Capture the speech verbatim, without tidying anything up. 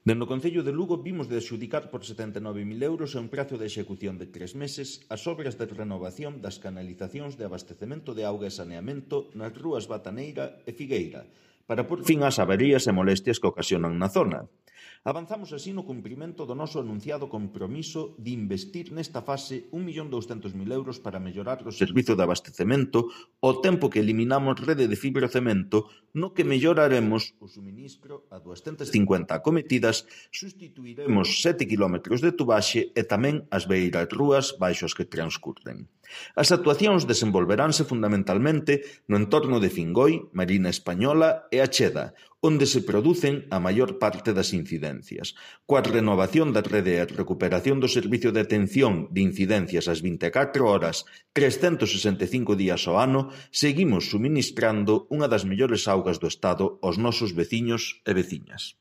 Dende o Concello de Lugo vimos de adxudicar por setenta e nove mil euros a un prazo de execución de tres meses as obras de renovación das canalizacións de abastecemento de auga e saneamento nas rúas Bataneira e Figueira, para por fin ás averías e molestias que ocasionan na zona. Avanzamos así no cumprimento do noso anunciado compromiso de investir nesta fase un millón douscentos mil euros para mellorar o servizo de abastecemento ao tempo que eliminamos rede de fibrocemento no que melloraremos o suministro a duascentas cincuenta acometidas, sustituiremos sete quilómetros de tubaxe e tamén as beiras rúas baixo as que transcurren. As actuacións desenvolveránse fundamentalmente no entorno de Fingoi, Marina Española e Acheda, onde se producen a maior parte das incidencias. Coa renovación da rede e a recuperación do servicio de atención de incidencias ás vinte e catro horas, trescentos sesenta e cinco días ao ano, seguimos suministrando unha das mellores augas do Estado aos nosos veciños e veciñas.